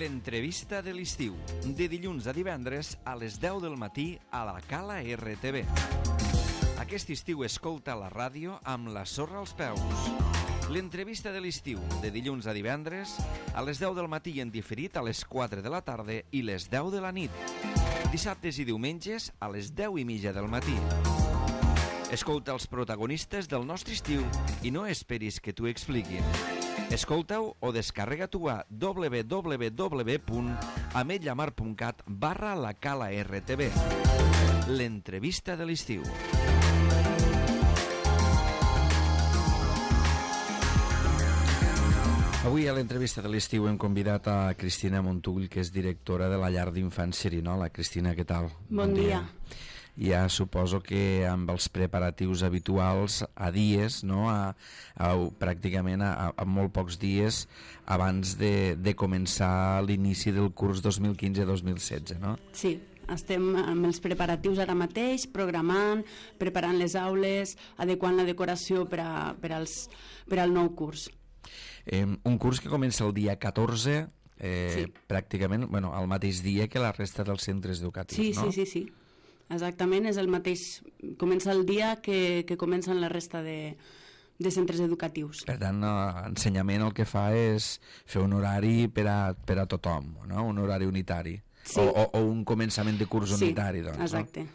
L'entrevista de l'estiu, de dilluns a divendres a les 10 del matí a la Cala RTV. Aquest estiu escolta la ràdio amb la sorra als peus. L'entrevista de l'estiu, de dilluns a divendres a les 10 del matí en diferit a les 4 de la tarda i les 10 de la nit. Dissabtes i diumenges a les 10:30 del matí. Escolta els protagonistes del nostre estiu i no esperis que t'ho expliquin. Escolta-ho o descarrega-t'ho a www.ametlllamar.cat/la Cala RTV. L'entrevista de l'estiu. Avui a l'entrevista de l'estiu hem convidat a Cristina Montull, que és directora de la llar d'infants Xerinola. Cristina, què tal? Bon dia. Ja suposo que amb els preparatius habituals a dies, no? Pràcticament a molt pocs dies abans de començar l'inici del curs 2015-2016, no? Sí, estem amb els preparatius ara mateix, programant, preparant les aules, adequant la decoració per al nou curs. Un curs que comença el dia 14, sí. Pràcticament el mateix dia que la resta dels centres educatius, no? Sí. Exactament, és el mateix. Comença el dia que comencen la resta de centres educatius. Per tant, l'ensenyament el que fa és fer un horari per a tothom, no? Un horari unitari. Sí. O un començament de curs unitari, doncs. Exacte. No?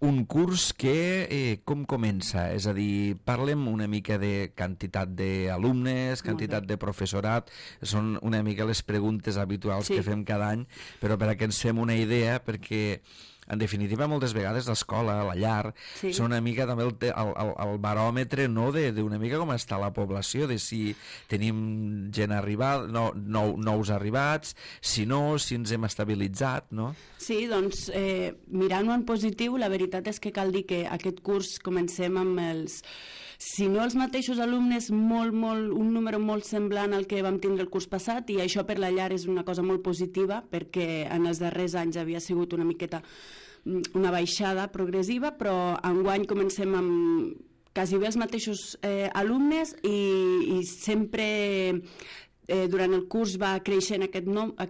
Un curs que com comença? És a dir, parlem una mica de quantitat d'alumnes, quantitat de professorat. Són una mica les preguntes habituals que fem cada any, però per a que ens fem una idea, perquè en definitiva moltes vegades l'escola, la llar, són una mica també el baròmetre, no, d'una mica com està la població, de si tenim gent arribada, nous arribats, si no, si ens hem estabilitzat, no? Sí, doncs mirant-ho en positiu, la veritat és que cal dir que aquest curs comencem amb si no els mateixos alumnes, un número molt semblant al que vam tindre el curs passat, i això per la llar és una cosa molt positiva, perquè en els darrers anys havia sigut una miqueta una baixada progressiva, però enguany comencem amb quasi bé els mateixos alumnes i sempre durant el curs va creixent aquest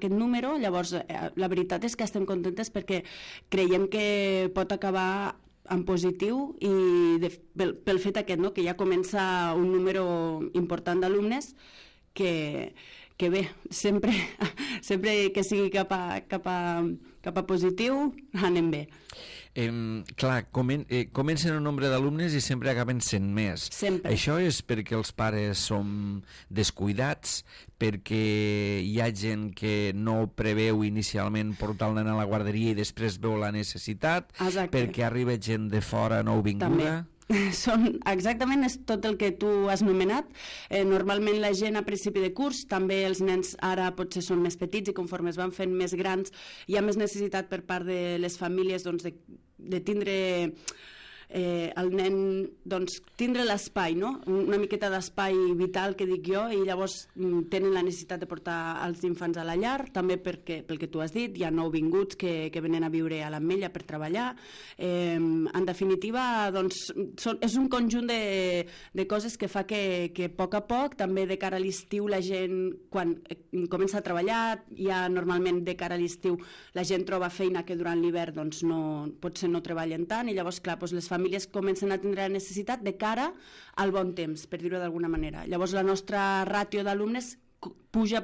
número. Llavors la veritat és que estem contentes perquè creiem que pot acabar en positiu i pel fet aquest, no? Que ja comença un número important d'alumnes que bé, sempre que sigui cap a positiu anem bé. Clar, comencen un nombre d'alumnes i sempre acaben sent més. Sempre. Això és perquè els pares som descuidats, perquè hi ha gent que no preveu inicialment portar el nen a la guarderia i després veu la necessitat. Exacte. Perquè arriba gent de fora nouvinguda. També. Exactament, és tot el que tu has nomenat. Normalment la gent a principi de curs, també els nens ara potser són més petits i conforme es van fent més grans hi ha més necessitat per part de les famílies de tindre el nen, doncs tindre l'espai, no? Una miqueta d'espai vital, que dic jo, i llavors tenen la necessitat de portar els infants a la llar, també pel que tu has dit, hi ha nouvinguts que venen a viure a l'Ametlla per treballar. En definitiva, doncs és un conjunt de coses que fa que a poc, també de cara a l'estiu la gent, quan comença a treballar, ja normalment de cara a l'estiu la gent troba feina que durant l'hivern doncs potser no treballen tant, i llavors clar, doncs les famílies comencen a tindre la necessitat de cara al bon temps, per dir-ho d'alguna manera. Llavors la nostra ràtio d'alumnes puja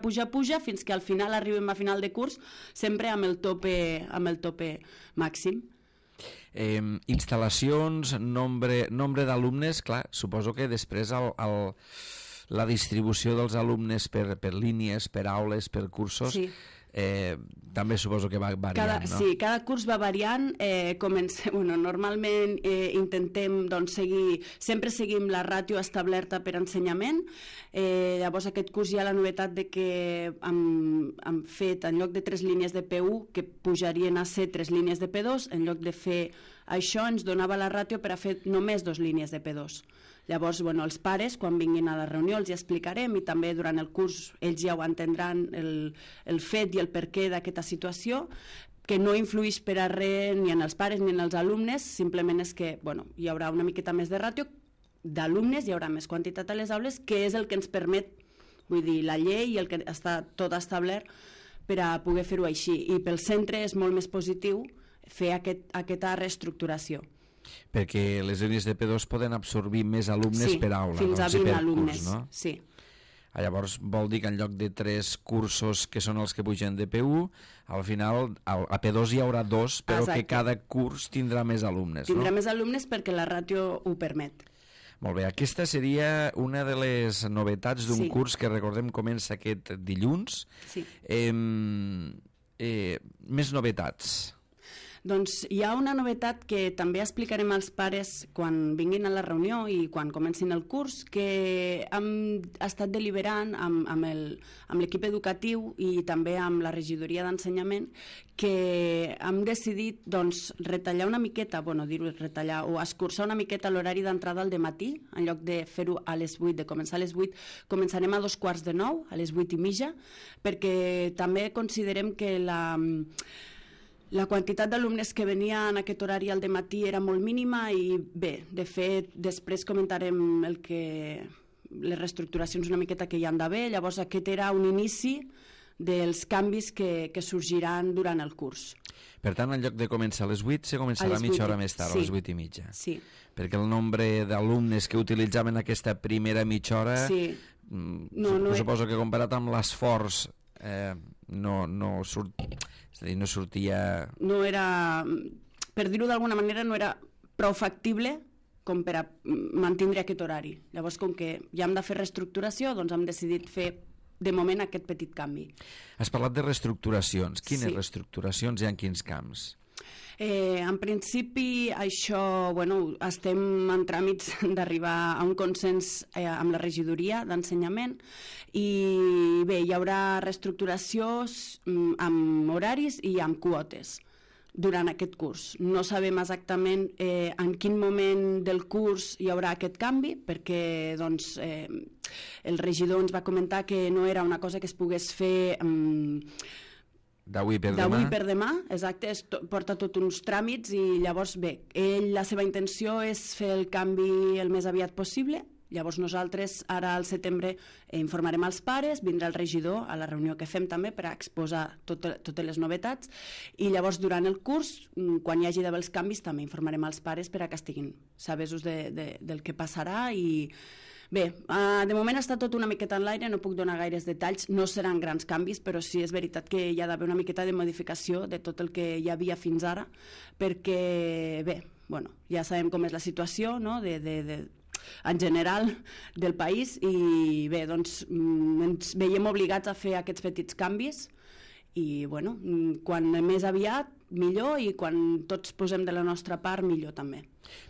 fins que al final arribem a final de curs sempre amb el tope màxim. Instal·lacions, nombre d'alumnes, clar, suposo que després la distribució dels alumnes per línies, per aules, per cursos, sí. També suposo que va variant, no? Sí, cada curs va variant. Normalment intentem sempre seguim la ràtio establerta per ensenyament. Llavors aquest curs hi ha la novetat de que hem fet, en lloc de 3 línies de P1 que pujarien a ser 3 línies de P2, en lloc de fer això ens donava la ràtio per a fer només 2 línies de P2. Llavors, els pares, quan vinguin a la reunió els hi explicarem, i també durant el curs ells ja ho entendran, el fet i el perquè d'aquesta situació, que no influïx per a res ni en els pares ni en els alumnes, simplement és que hi haurà una miqueta més de ràtio d'alumnes, hi haurà més quantitat a les aules, que és el que ens permet vull dir, la llei i el que està tot establert per a poder fer-ho així. I pel centre és molt més positiu fer aquesta reestructuració. Perquè les línies de P2 poden absorbir més alumnes per aula. Fins a 20 alumnes, curs, no? Sí. Llavors vol dir que en lloc de 3 cursos que són els que pugen de P1, al final a P2 hi haurà 2, però que cada curs tindrà més alumnes. Tindrà més alumnes perquè la ràtio ho permet. Molt bé, aquesta seria una de les novetats d'un curs que recordem comença aquest dilluns. Sí. Més novetats. Doncs hi ha una novetat que també explicarem als pares quan vinguin a la reunió i quan comencin el curs, que hem estat deliberant amb l'equip educatiu i també amb la regidoria d'ensenyament, que hem decidit retallar una miqueta, retallar o escurçar una miqueta l'horari d'entrada al dematí, en lloc de fer-ho a les 8, de començar a les 8, començarem a 8:45, a les 8:30, perquè també considerem que la quantitat d'alumnes que venia en aquest horari al dematí era molt mínima i bé, de fet, després comentarem les reestructuracions una miqueta que hi han d'haver. Llavors aquest era un inici dels canvis que sorgiran durant el curs. Per tant, en lloc de començar a les 8, se començarà mitja hora més tard, a les 8:30. Sí. Perquè el nombre d'alumnes que utilitzaven aquesta primera mitja hora, suposo que comparat amb l'esforç no sortia... No era, per dir-ho d'alguna manera, no era prou factible com per a mantindre aquest horari. Llavors, com que ja hem de fer reestructuració, doncs hem decidit fer de moment aquest petit canvi. Has parlat de reestructuracions. Quines reestructuracions i en quins camps? En principi això, estem en tràmits d'arribar a un consens amb la regidoria d'ensenyament i bé, hi haurà reestructuracions amb horaris i amb quotes durant aquest curs. No sabem exactament en quin moment del curs hi haurà aquest canvi, perquè el regidor ens va comentar que no era una cosa que es pogués fer d'avui per demà, exacte, porta tot uns tràmits i llavors, bé, la seva intenció és fer el canvi el més aviat possible. Llavors nosaltres ara al setembre informarem als pares, vindrà el regidor a la reunió que fem també per a exposar totes les novetats i llavors durant el curs, quan hi hagi d'haver els canvis, també informarem als pares per a que estiguin sabesos del que passarà i bé, de moment està tot una miqueta en l'aire, no puc donar gaires detalls, no seran grans canvis, però sí és veritat que hi ha d'haver una miqueta de modificació de tot el que hi havia fins ara, perquè bé, ja sabem com és la situació, no?, en general del país i bé, doncs ens veiem obligats a fer aquests petits canvis i quan més aviat millor i quan tots posem de la nostra part millor també.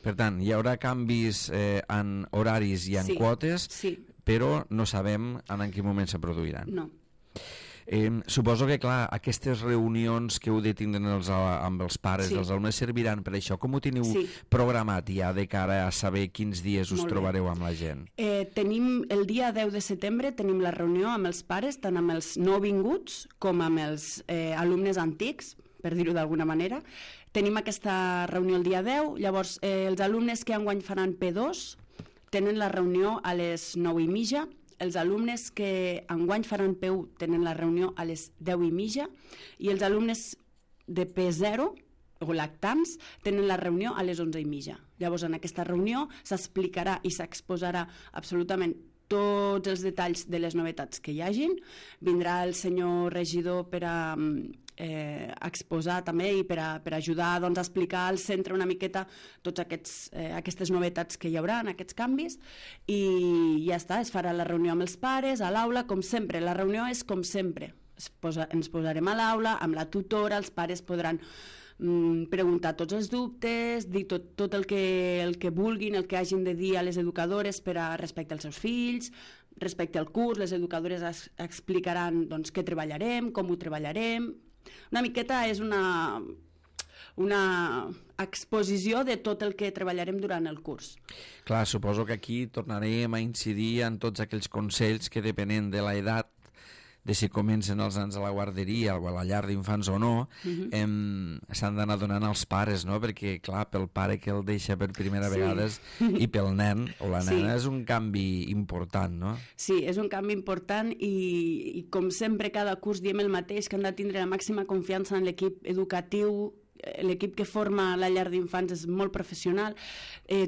Per tant, hi haurà canvis en horaris i en quotes, però no sabem en quin moment se produiran. No. Suposo que, clar, aquestes reunions que heu de tindre amb els pares dels alumnes serviran per això. Com ho teniu programat ja de cara a saber quins dies us trobareu amb la gent? Tenim el dia 10 de setembre, tenim la reunió amb els pares, tant amb els nouvinguts com amb els alumnes antics, per dir-ho d'alguna manera. Tenim aquesta reunió el dia 10, llavors els alumnes que enguany faran P2 tenen la reunió a les 9:30, els alumnes que enguany faran P1 tenen la reunió a les 10:30 i els alumnes de P0 o lactants tenen la reunió a les 11:30. Llavors en aquesta reunió s'explicarà i s'exposarà absolutament tots els detalls de les novetats que hi hagin. Vindrà el senyor regidor per a exposar també i per a ajudar a explicar al centre una miqueta totes aquestes novetats que hi haurà en aquests canvis i ja està, es farà la reunió amb els pares a l'aula, com sempre, la reunió és com sempre, ens posarem a l'aula amb la tutora, els pares podran preguntar tots els dubtes, dir tot el que vulguin, el que hagin de dir a les educadores respecte als seus fills, respecte al curs, les educadores explicaran què treballarem, com ho treballarem. Una miqueta és una exposició de tot el que treballarem durant el curs. Clar, suposo que aquí tornarem a incidir en tots aquells consells que depenent de l'edat si comencen els nens a la guarderia o a la llar d'infants o no, s'han d'anar donant als pares, no? Perquè, clar, pel pare que el deixa per primera vegada i pel nen o la nena és un canvi important, no? Sí, és un canvi important i com sempre cada curs diem el mateix, que han de tindre la màxima confiança en l'equip educatiu. L'equip que forma la llar d'infants és molt professional,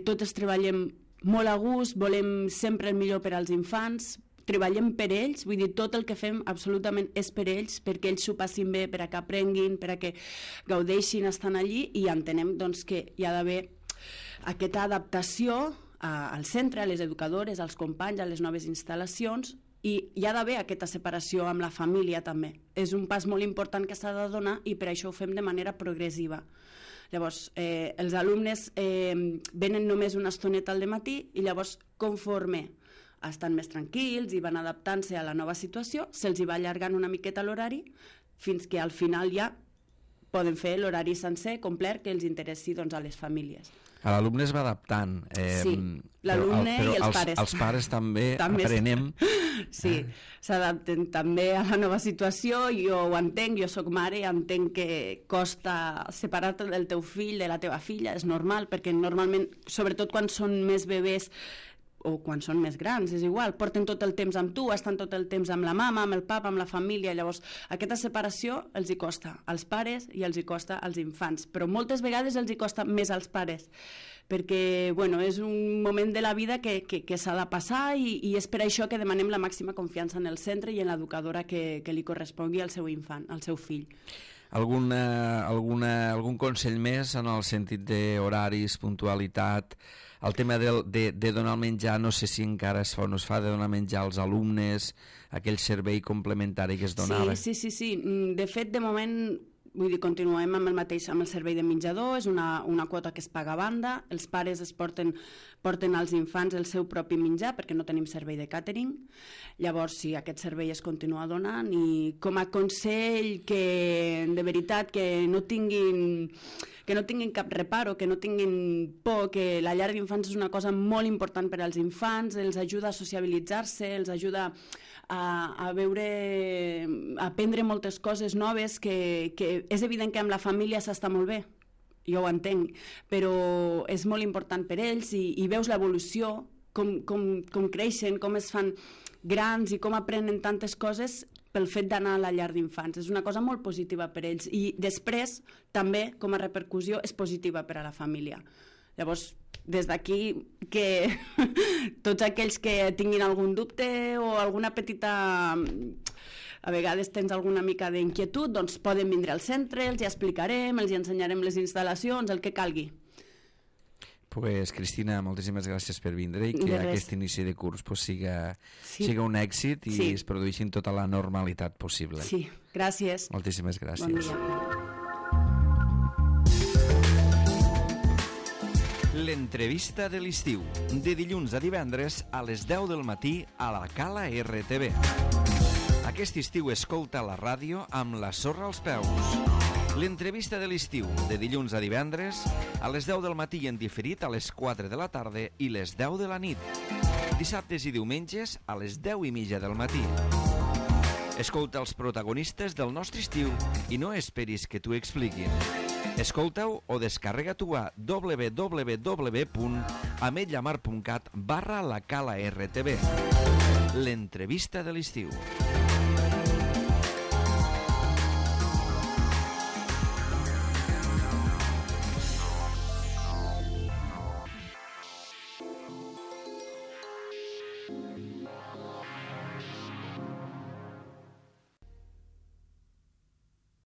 totes treballem molt a gust, volem sempre el millor per als infants, treballem per ells, vull dir, tot el que fem absolutament és per ells, perquè ells s'ho passin bé, per a que aprenguin, per a que gaudeixin estant allí, i entenem doncs, que hi ha d'haver aquesta adaptació al centre, a les educadores, als companys, a les noves instal·lacions, i hi ha d'haver aquesta separació amb la família també. És un pas molt important que s'ha de donar i per això ho fem de manera progressiva. Llavors, els alumnes venen només una estoneta al dematí i llavors, conforme estan més tranquils i van adaptant-se a la nova situació, se'ls va allargant una miqueta l'horari fins que al final ja poden fer l'horari sencer, complet, que els interessi doncs, a les famílies. L'alumne es va adaptant. Sí, l'alumne i els pares. Els pares també aprenem. Sí, s'adapten també a la nova situació. Jo ho entenc, jo soc mare i entenc que costa separar-te del teu fill, de la teva filla, és normal, perquè normalment, sobretot quan són més bebès, o quan són més grans, és igual, porten tot el temps amb tu, estan tot el temps amb la mama, amb el papa, amb la família, llavors aquesta separació els hi costa als pares i els hi costa als infants, però moltes vegades els hi costa més als pares, perquè bueno, és un moment de la vida que s'ha de passar i és per això que demanem la màxima confiança en el centre i en l'educadora que li correspongui al seu infant, al seu fill. Algun consell més en el sentit d'horaris, puntualitat, el tema de donar el menjar, no sé si encara es fa o no es fa, de donar menjar als alumnes, aquell servei complementari que es donava? Sí. De fet, de moment, vull dir, continuem amb el mateix, amb el servei de menjador, és una quota que es paga a banda, els pares porten als infants el seu propi menjar perquè no tenim servei de càtering, llavors sí, aquest servei es continua donant i com a consell que de veritat que no tinguin cap reparo, que no tinguin por, que la llar d'infants és una cosa molt important per als infants, els ajuda a sociabilitzar-se, els ajuda a aprendre moltes coses noves, que és evident que amb la família s'està molt bé, jo ho entenc, però és molt important per ells i veus l'evolució, com creixen, com es fan grans i com aprenen tantes coses pel fet d'anar a la llar d'infants. És una cosa molt positiva per ells i després també com a repercussió és positiva per a la família. Llavors, des d'aquí que tots aquells que tinguin algun dubte o alguna petita... a vegades tens alguna mica d'inquietud, doncs poden vindre al centre, els hi explicarem, els hi ensenyarem les instal·lacions, el que calgui. Pues, Cristina, moltíssimes gràcies per vindre i que aquest inici de curs siga un èxit i es produeixi en tota la normalitat possible. Sí, gràcies. Moltíssimes gràcies. Bon dia. L'entrevista de l'estiu, de dilluns a divendres a les 10 del matí a la Cala RTV. Aquest estiu escolta la ràdio amb la sorra als peus. L'entrevista de l'estiu, de dilluns a divendres, a les 10 del matí i en diferit a les 4 de la tarda i les 10 de la nit. Dissabtes i diumenges a les 10:30 del matí. Escolta els protagonistes del nostre estiu i no esperis que t'ho expliquin. Escolta-ho o descarrega-t'ho a www.ametlllamar.cat/la Cala RTV. L'entrevista de l'estiu.